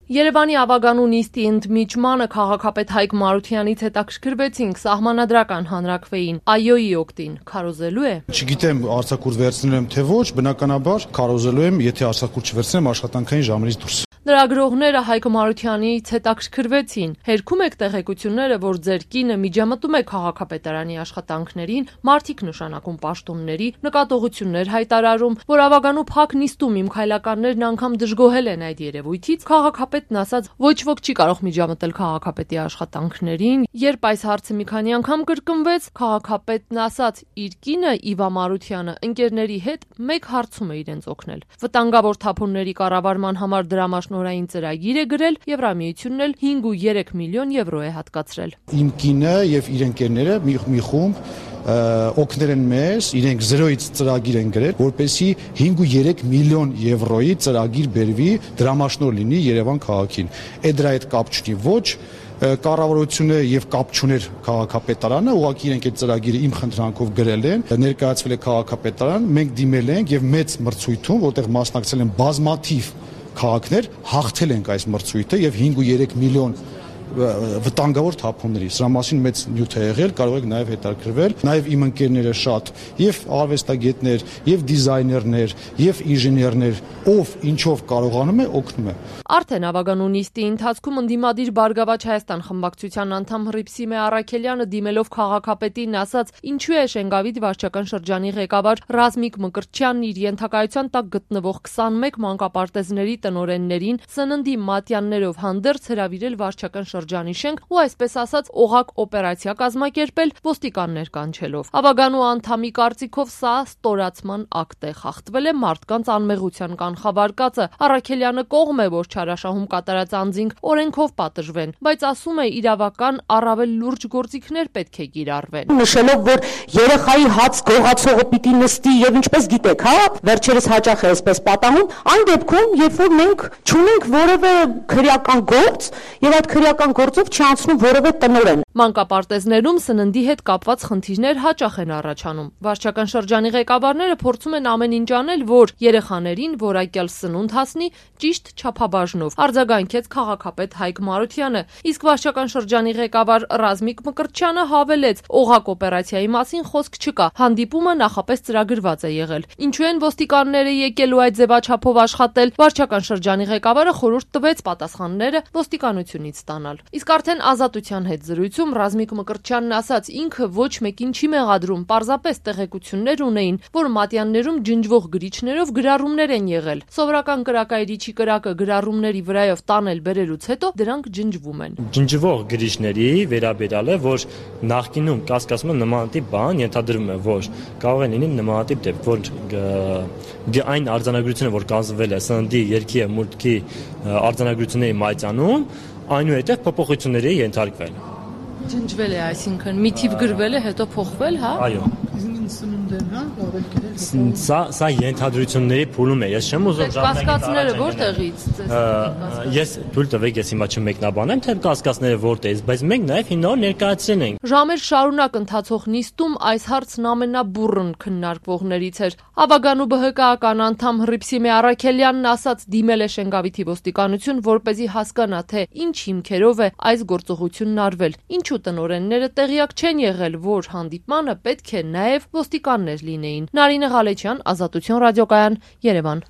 Երևանի ավագանու նիստի ընդմիջմանը քաղաքապետ Հայկ Մարությյանից հետաքրքրվեցինք սահմանադրական հանրաքվեին ԱՅՈ-ի օգտին քարոզելու է։ Չգիտեմ արձակուրդ վերցնել եմ թե ոչ, բնականաբար քարոզելու եմ, եթե արձակուրդ չվերցնեմ աշխատանքային ժամերից դուրս։ Լրագրողները Հայկ Մարությանից հետաքրքրվեցին։ Հերքում եք տեղեկությունները, որ ձեր կինը միջամտում է քաղաքապետարանի աշխատանքներին, մարդիկ նշանակում պաշտոնների, նկատողություններ հայտարարում, որ ավագանու փակ նիստում իմ քայլականներն անգամ դժգոհել են այդ երևույթից, քաղաքապետն ասաց, ոչ ոք չի կարող միջամտել քաղաքապետի աշխատանքներին։ Երբ այս հարցը մի քանի անգամ կրկնվեց, քաղաքապետն ասաց, իր կինը Իվա Մարությանը ընկերների հետ մեկ հարցում է իրենց օգնել։ Վտանգավոր թափոնների կառավարման համար դրամաշնորհային ծրագիր է գրել, Եվրամիությունն էլ 5.3 միլիոն եվրո է հատկացրել։ Իմ կինը եւ իր ընկերները մի խումբ օգնել են մեզ, իրենք 0-ից ծրագիր են գրել, որպեսզի 5.3 միլիոն եվրոյի ծրագիր բերվի, դրամաշնորհ լինի Երևան քաղաքին։ Այդ դրա հետ կապ չունի ոչ կառավարությունը եւ կապ չուներ քաղաքապետարանը, ուղղակի իրենք այդ ծրագիրը իմ խնդրանքով գրել են, ներկայացվել է քաղաքապետարան, մենք դիմել ենք եւ մեծ մրցույթում, որտեղ մասնակցել են բազմաթիվ քաղաքներ, հաղթել ենք այս մրցույթը եւ 5.3 միլիոն վտանգավոր թափոնների։ Սրա մասին մեծ նյութ է եղել, կարող եք նաև հետաքրքրվել։ Նաև իմ ընկերները շատ եւ արվեստագետներ, եւ դիզայներներ, եւ ինժեներներ, ով ինչով կարողանում է, օգնում է։ Արդեն ավագանու նիստի ընթացքում ընդդիմադիր Բարգավաճ Հայաստան խմբակցության անդամ Հռիփսիմե Առաքելյանը դիմելով քաղաքապետին ասաց, ինչու է Շենգավիթ վարչական շրջանի ղեկավար Ռազմիկ Մկրտչյանն իր ենթակայության տակ գտնվող 21 մանկապարտեզների տնօրեններին սննդի մատյաններով հանդերձ հրավիրել վարչական շրջանի շենք ու այսպես ասած օղակ օպերացիա կազմակերպել ոստիկաններ կանչելով։ Ավագանու անդամի կարծիքով սա ստորացման ակտ է, խախտվել է մարդկանց անմեղության կանխավարկածը։ Առաքելյանը կողմ է, որ չարաշահում կատարած անձինք օրենքով պատժվեն, բայց ասում է իրավական առավել լուրջ գործիքներ պետք է կիրառվեն։ Նշելով, որ երեխայի հաց գողացողը պիտի նստի եւ ինչպես գիտեք, հա, վերջերս հաճախ է այսպես պատահում, այն դեպքում, երբ որ մենք չունենք որևէ քրեական գործ եւ այդ քրեական գործով չանցնում որևէ տնօրեն։ Մանկապարտեզներում սննդի հետ կապված խնդիրներ հաճախ են առաջանում։ Վարչական շրջանի ղեկավարները փորձում են ամեն ինչ անել, որ երեխաներին որակյալ սնունդ հասնի ճիշտ չափաբաժնով, արձագանքեց քաղաքապետ Հայկ Մարությանը, իսկ վարչական շրջանի ղեկավար Ռազմիկ Մկրտչյանը հավելեց, օղակ օպերացիայի մասին խոսք չկա, հանդիպումը նախապես ծրագրված է եղել։ Ինչու են ոստիկանները եկելու այդ ձևաչափով աշխատել, վարչական շրջանի ղեկավարը խորհուրդ տվեց պատասխանները ոստիկանությունից ստանալ։ Իսկ արդեն Ազատության հետ զրույցում Ռազմիկ Մկրտչյանն ասաց, ինքը ոչ մեկին չի մեղադրում, պարզապես տեղեկություններ ունեին, որ մատյաններում ջնջվող գրիչներով գրառումներ են եղել։ Սովորական կրակայրիչի կրակը գրառումների վրայով տանել բերելուց հետո դրանք ջնջվում են։ Ջնջվող գրիչների վերաբերյալ է, որ նախկինում կասկածում է նմանատիպ բան, ենթադրվում է, որ կարող է լինի նմանատիպ դեպք, որ այն արձանագրությունը, որ կազմվել է սննդի, երգի եւ մուտքի արձանագրությունների մատյանում, այնուհետև փոփոխությունների է ենթարկվել։ Ջնջվել է, այսինքն մի թիվ գրվել է, հետո փոխվել, հա։ Այո։ Սա ենթադրությունների փուլում է, ես չեմ ուզում կասկածները որտեղից ես թույլ տվեք, ես հիմա չմեկնաբանեմ, թե կասկածները որտեղից, բայց մենք նաև հիմնավոր ներկայացրել ենք։ Ժամեր շարունակ ընթացող նիստում այս հարցն ամենաբուռն քննարկվողներից էր։ Ավագանու ԲՀԿ-ական անդամ Հռիփսիմե Առաքելյանն ասաց, դիմել է Շենգավիթի ոստիկանություն, որպեսզի հասկանա, թե ինչ հիմքերով է այս գործողությունն արվել։ Ինչու տնօրենները տեղյակ չեն եղել, որ հանդիպմանը պետք է նաև ոստիկաններ լինեին։ Նարինե Ղալեչյան, Ազատություն ռադիոկայան, Երևան։